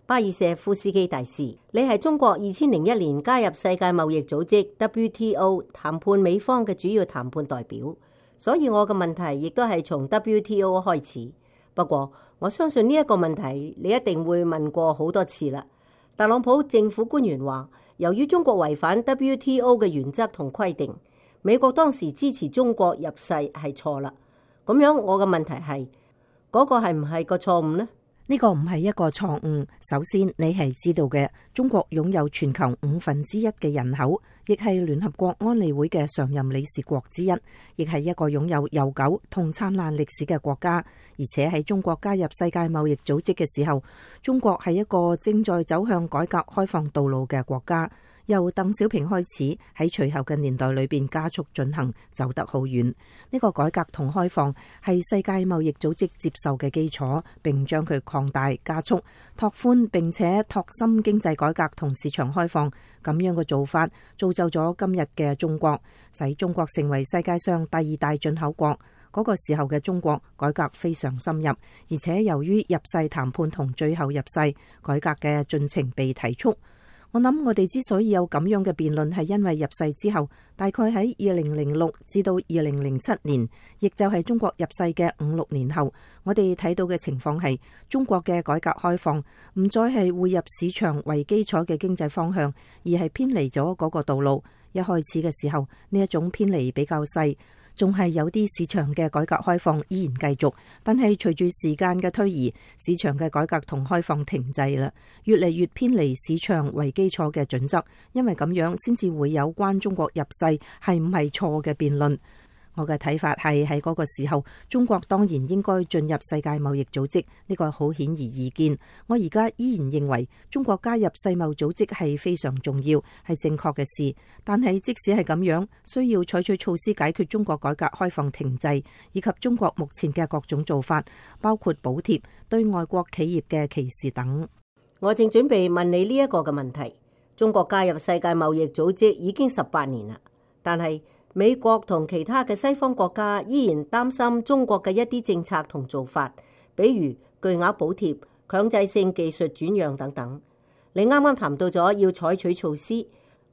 巴爾舍夫斯基大使，你係中國2001年加入世界貿易組織 WTO 談判美方嘅主要談判代表，所以我嘅問題亦都係從 WTO 開始。不過我相信呢一個問題你一定會問過好多次啦。特朗普政府官員話，由於中國違反 WTO 嘅原則同規定，美國當時支持中國入世係錯啦。咁樣我嘅問題係，嗰個係唔係個錯誤呢？呢個唔係一個錯誤。首先，你係知道嘅，中國擁有全球1/5嘅人口，亦係聯合國安理會嘅常任理事國之一，亦係一個擁有悠久同燦爛歷史嘅國家。而且喺中國加入世界貿易組織嘅時候，中國係一個正在走向改革開放道路嘅國家。由鄧小平開始，喺隨後嘅年代裏邊加速進行，走得好遠。呢個改革同開放係世界貿易組織接受嘅基礎，並將佢擴大、加速、拓寬，並且拓深經濟改革同市場開放。咁樣嘅做法造就咗今日嘅中國，使中國成為世界上第2大進口國。嗰個時候嘅中國改革非常深入，而且由於入世談判同最後入世改革嘅進程被提速。我諗我哋之所以有咁樣嘅辯論，係因為入世之後，大概喺2006至到2007年，亦就係中國入世嘅5-6年後，我哋睇到嘅情況係中國嘅改革開放唔再係匯入市場為基礎嘅經濟方向，而係偏離咗嗰個道路。一開始嘅時候，呢一種偏離比較細，仲係有啲市場嘅改革開放依然繼續，但係隨住時間嘅推移，市場嘅改革同開放停滯啦，越嚟越偏離市場為基礎嘅準則，因為咁樣先至會有關中國入世係唔係錯嘅辯論。我嘅睇法係喺嗰個時候，中國當然應該進入世界貿易組織，呢個好顯而易見。我而家依然認為中國加入世貿組織係非常重要，係正確嘅事。但係即使係咁樣，需要採取措施解決中國改革開放停滯，以及中國目前嘅各種做法，包括補貼、對外國企業嘅歧視等。我正準備問你呢一個嘅問題。中國加入世界貿易組織已經18年啦，但係美國同其他嘅西方國家依然擔心中國嘅一啲政策同做法，比如巨額補貼、強制性技術轉讓等等。你啱啱談到咗要採取措施，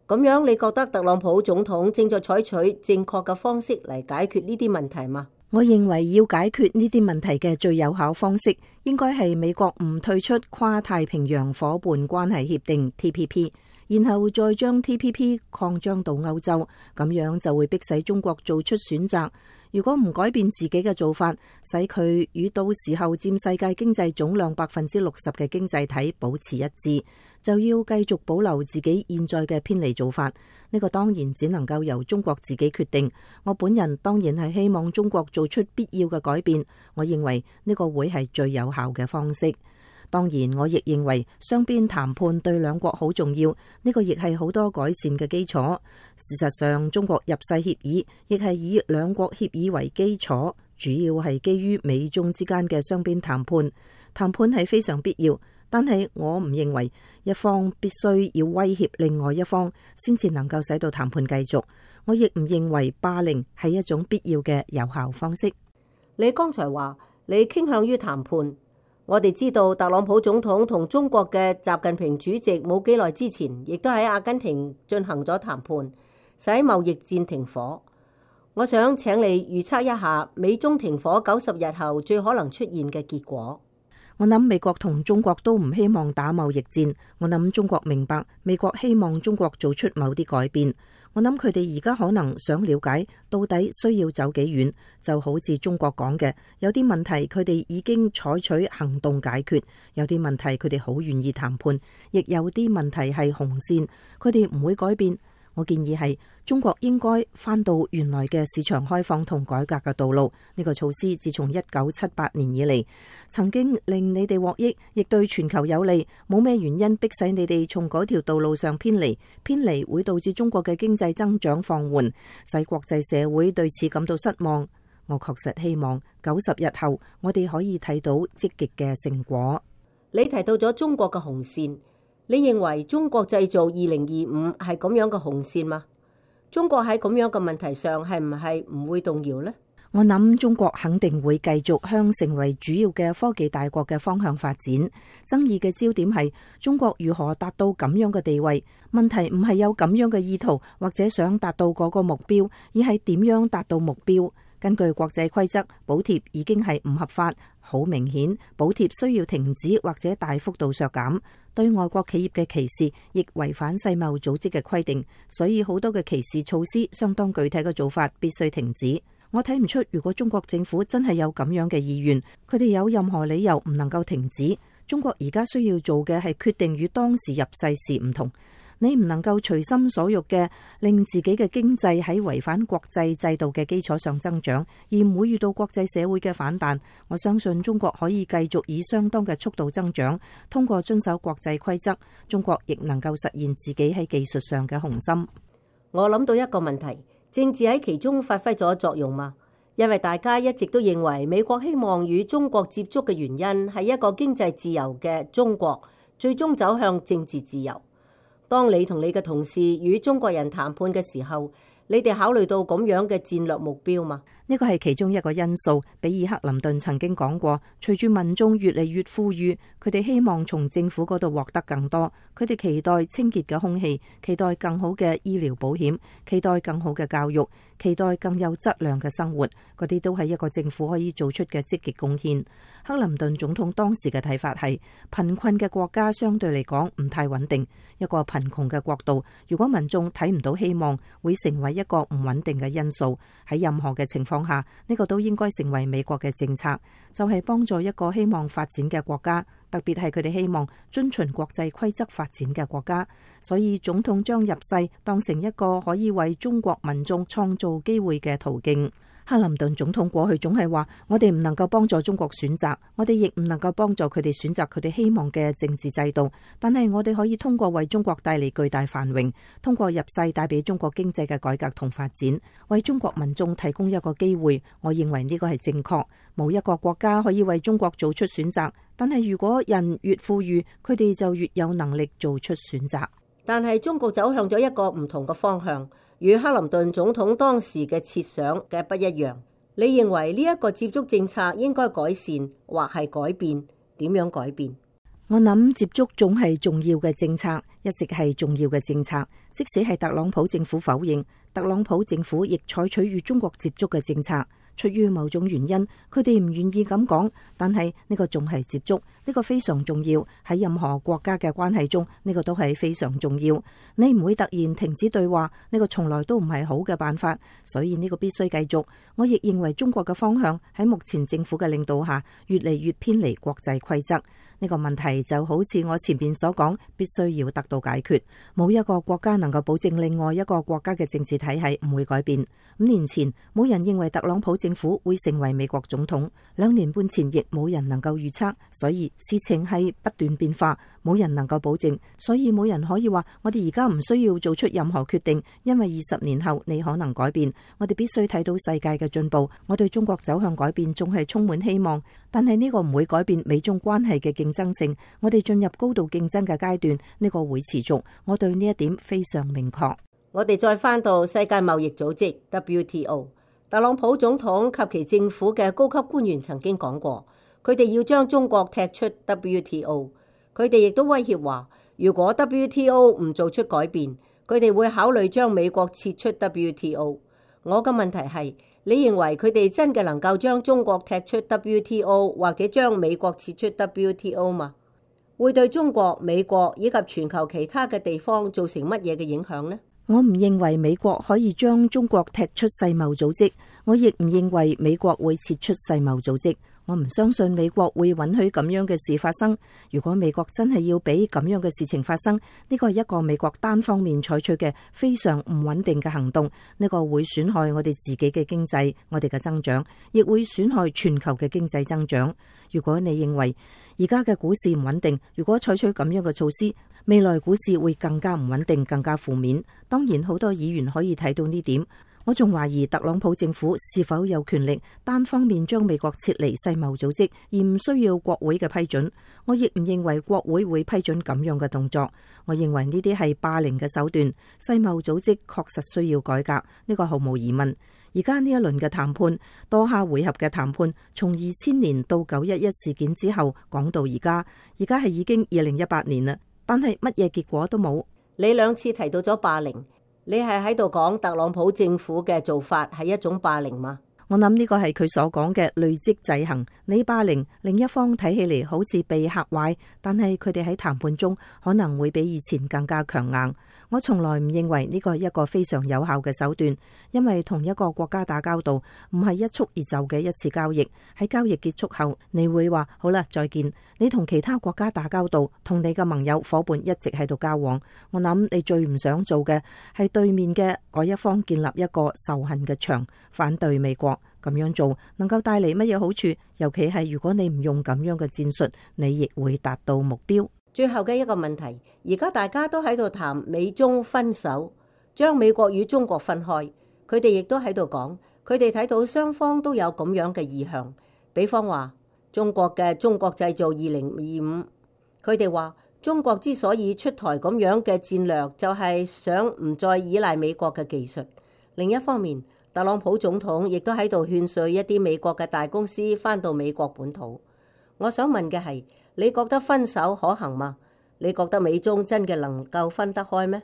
咁樣你覺得特朗普總統正在採取正確嘅方式嚟解決呢啲問題嗎？我認為要解決呢啲問題嘅最有效方式，應該係美國唔退出跨太平洋夥伴關係協定 TPP。然後再將 TPP 擴張到歐洲，咁樣就會迫使中國做出選擇。如果唔改變自己嘅做法，使佢與到時候佔世界經濟總量60%嘅經濟體保持一致，就要繼續保留自己現在嘅偏離做法。呢個當然只能夠由中國自己決定。我本人當然係希望中國做出必要嘅改變。我認為呢個會係最有效嘅方式。當然，我亦認為雙邊談判對兩國好重要，呢個亦係好多改善嘅基礎。事實上，中國入世協議亦係以兩國協議為基礎，主要係基於美中之間嘅雙邊談判。談判係非常必要，但係我唔認為一方必須要威脅另外一方先至能夠使到談判繼續。我亦唔認為霸凌係一種必要嘅有效方式。你剛才話你傾向於談判。我哋知道特朗普總統同中國嘅習近平主席冇幾耐之前，亦都喺阿根廷進行咗談判，使貿易戰停火。我想請你預測一下美中停火90日後最可能出現嘅結果。我諗美國同中國都唔希望打貿易戰。我諗中國明白美國希望中國做出某啲改變。我諗佢哋而家可能想了解到底需要走幾遠，就好似中國講嘅，有啲問題佢哋已經採取行動解決，有啲問題佢哋好願意談判，亦有啲問題係紅線，佢哋唔會改變。我建議係中國應該返到原來嘅市場開放同改革嘅道路。呢個措施自從1978年以嚟，曾經令你哋獲益，亦對全球有利，冇咩原因迫使你哋從嗰條道路上偏離。偏離會導致中國嘅經濟增長放緩，使國際社會對此感到失望。我確實希望90日後我哋可以睇到積極嘅成果。你提到咗中國嘅紅線。你認為中國製造2025係咁樣嘅紅線嗎？中國喺咁樣嘅問題上係唔會動搖呢？我諗中國肯定會繼續向成為主要嘅科技大國嘅方向發展。爭議嘅焦點係中國如何達到咁樣嘅地位。問題唔係有咁樣嘅意圖或者想達到嗰個目標，而係點樣達到目標。根據國際規則，補貼已經係唔合法，好明顯，補貼需要停止或者大幅度削減。對外國企業嘅歧視亦違反世貿組織嘅規定，所以好多嘅歧視措施相當具體嘅做法必須停止。我睇唔出，如果中國政府真係有咁樣嘅意願，佢哋有任何理由唔能夠停止。中國而家需要做嘅係決定與當時入世時唔同。你唔能夠隨心所欲嘅令自己嘅經濟喺違反國際制度嘅基礎上增長，而唔會遇到國際社會嘅反彈。我相信中國可以繼續以相當嘅速度增長，通過遵守國際規則，中國亦能夠實現自己喺技術上嘅雄心。我諗到一個問題，政治喺其中發揮咗作用嗎？因為大家一直都認為美國希望與中國接觸嘅原因係一個經濟自由嘅中國最終走向政治自由。當你同你嘅同事與中國人談判嘅時候，你哋考慮到咁樣嘅戰略目標嗎？呢個係其中一個因素。比爾克林頓曾經講過，隨住民眾越嚟越富裕，佢哋希望從政府嗰度獲得更多。佢哋期待清潔嘅空氣，期待更好嘅醫療保險，期待更好嘅教育，期待更有質量嘅生活。嗰啲都係一個政府可以做出嘅積極貢獻。克林頓總統當時嘅睇法係，貧困嘅國家相對嚟講唔太穩定。一個貧窮嘅國度，如果民眾睇唔到希望，會成為一個唔穩定嘅因素。喺任何嘅情況下，呢個都應該成為美國嘅政策，就係幫助一個希望發展嘅國家，特別係佢哋希望遵循國際規則發展嘅國家。所以總統將入世當成一個可以為中國民眾創造機會嘅途徑。克林頓總統過去總係話，我哋唔能夠幫助中國選擇，我哋亦唔能夠幫助佢哋選擇佢哋希望嘅政治制度，但係我哋可以通過為中國帶嚟巨大繁榮，通過入世帶俾中國經濟嘅改革同發展，為中國民眾提供一個機會。我認為呢個係正確。冇一個國家可以為中國做出選擇，但係如果人越富裕，佢哋就越有能力做出選擇。但係中國走向咗一個唔同嘅方向，與克林頓總統當時嘅設想嘅不一樣。你認為呢一個接觸政策應該改善或係改變？點樣改變？我諗接觸總係重要嘅政策，一直係重要嘅政策。即使係特朗普政府否認，特朗普政府亦採取與中國接觸嘅政策。出於某種原因，佢哋唔願意咁講，但係呢個仲係接觸，呢個非常重要。喺任何國家嘅關係中，呢個都係非常重要。你唔會突然停止對話，呢個從來都唔係好嘅辦法，所以呢個必須繼續。我亦認為中國嘅方向喺目前政府嘅領導下，越嚟越偏離國際規則。呢個問題就好似我前面所講，必須要得到解決。冇一個國家能夠保證另外一個國家嘅政治體系唔會改變。5年前，冇人認為特朗普政府會成為美國總統，2年半前亦冇人能夠預測，所以事情係不斷變化，冇人能夠保證，所以冇人可以話我哋而家唔需要做出任何決定，因為20年後你可能改變。我哋必須睇到世界嘅進步，我對中國走向改變仲係充滿希望，但係呢個唔會改變美中關係嘅競爭性。我哋進入高度競爭嘅階段，呢個會持續，我對呢一點非常明確。我哋再翻到世界貿易組織 WTO， 特朗普總統及其政府嘅高級官員曾經講過，佢哋要將中國踢出 WTO。 佢哋亦都威脅話，如果 WTO 唔做出改變，佢哋會考慮將美國撤出 WTO。 我嘅問題係，你認為佢哋真嘅能夠將中國踢出 WTO 或者將美國撤出 WTO 嗎？會對中國、美國以及全球其他嘅地方造成乜嘢嘅影響呢？我唔認為美國可以將中國踢出世貿組織，我亦唔認為美國會撤出世貿組織。我唔相信美國會允許咁樣嘅事發生。如果美國真係要俾咁樣嘅事情發生，呢個係一個美國單方面採取嘅非常唔穩定嘅行動。呢個會損害我哋自己嘅經濟，我哋嘅增長，亦會損害全球嘅經濟增長。如果你認為而家嘅股市唔穩定，如果採取咁樣嘅措施，未來股市會更加唔穩定，更加負面。當然，好多議員可以睇到呢點。我仲懷疑特朗普政府是否有權力單方面將美國撤離世貿組織，而唔需要國會嘅批准。我亦唔認為國會會批准咁樣嘅動作。我認為呢啲係霸凌嘅手段。世貿組織確實需要改革，呢個毫無疑問。而家呢一輪嘅談判，多下回合嘅談判，從2000年到911事件之後講到而家係已經2018年啦，但係乜嘢結果都冇。你2次提到咗霸凌，你係喺度講特朗普政府嘅做法係一種霸凌嗎？我諗呢個係佢所講嘅累積制衡。你霸凌另一方睇起嚟好似被嚇壞，但係佢哋喺談判中可能會比以前更加強硬。我從來唔認為呢個係一個非常有效嘅手段，因為同一個國家打交道唔係一蹴而就嘅一次交易。喺交易結束後，你會話好啦，再見。你同其他國家打交道，同你嘅盟友夥伴一直喺度交往。我諗你最唔想做嘅係對面嘅嗰一方建立一個仇恨嘅牆，反對美國。咁樣做能夠帶嚟乜嘢好處？尤其係如果你唔用咁樣嘅戰術，你亦會達到目標。最後嘅一個問題，而家大家都喺度談美中分手，將美國與中國分開。佢哋亦都喺度講，佢哋睇到雙方都有咁樣嘅意向。比方話中國嘅中國製造2025，佢哋話中國之所以出台咁樣嘅戰略，就係想唔再依賴美國嘅技術。另一方面，特朗普總統亦都喺度勸說一啲美國嘅大公司返到美國本土。我想問嘅係，你覺得分手可行嗎？你覺得美中真嘅能夠分得開咩？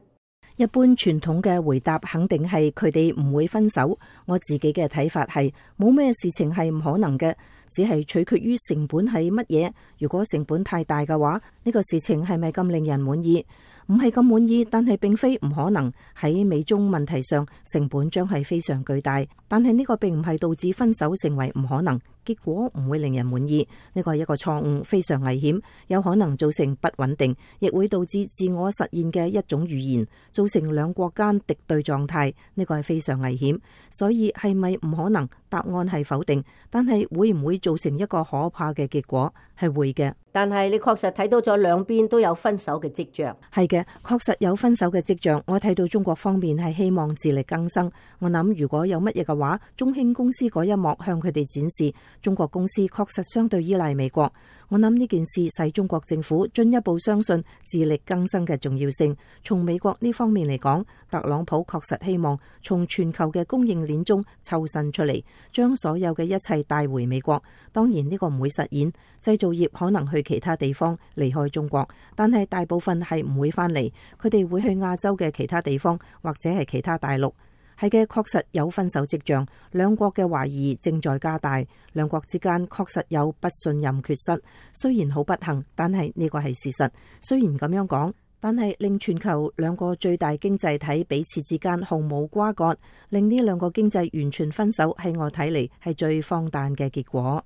一般傳統嘅回答肯定係佢哋唔會分手。我自己嘅睇法係冇咩事情係唔可能嘅，只係取決於成本係乜嘢。如果成本太大嘅話，呢個事情係咪咁令人滿意？唔係咁滿意，但係並非唔可能。喺美中問題上，成本將係非常巨大，但係呢個並唔係導致分手成為唔可能，結果唔會令人滿意。呢個係一個錯誤，非常危險，有可能造成不穩定，亦會導致自我實現嘅一種預言，造成兩國間敵對狀態。呢個係非常危險。所以係咪唔可能？答案係否定，但係會唔會造成一個可怕嘅結果？係會嘅。但係你確實睇到咗兩邊都有分手嘅跡象。係嘅，確實有分手嘅跡象。我睇到中國方面係希望自力更生。我諗如果有乜嘢嘅話，中興公司嗰一幕向佢哋展示，中國公司確實相對依賴美國。我諗呢件事使中國政府進一步相信自力更生嘅重要性。從美國呢方面嚟講，特朗普確實希望從全球嘅供應鏈中抽身出嚟，將所有嘅一切帶回美國。當然呢個唔會實現，製造業可能去其他地方離開中國，但係大部分係唔會返嚟，佢哋會去亞洲嘅其他地方或者係其他大陸。係嘅，確實有分手跡象，兩國嘅懷疑正在加大，兩國之間確實有不信任缺失。雖然好不幸，但係呢個係事實。雖然咁樣講，但係令全球兩個最大經濟體彼此之間毫無瓜葛，令呢兩個經濟完全分手，喺我睇嚟係最荒誕嘅結果。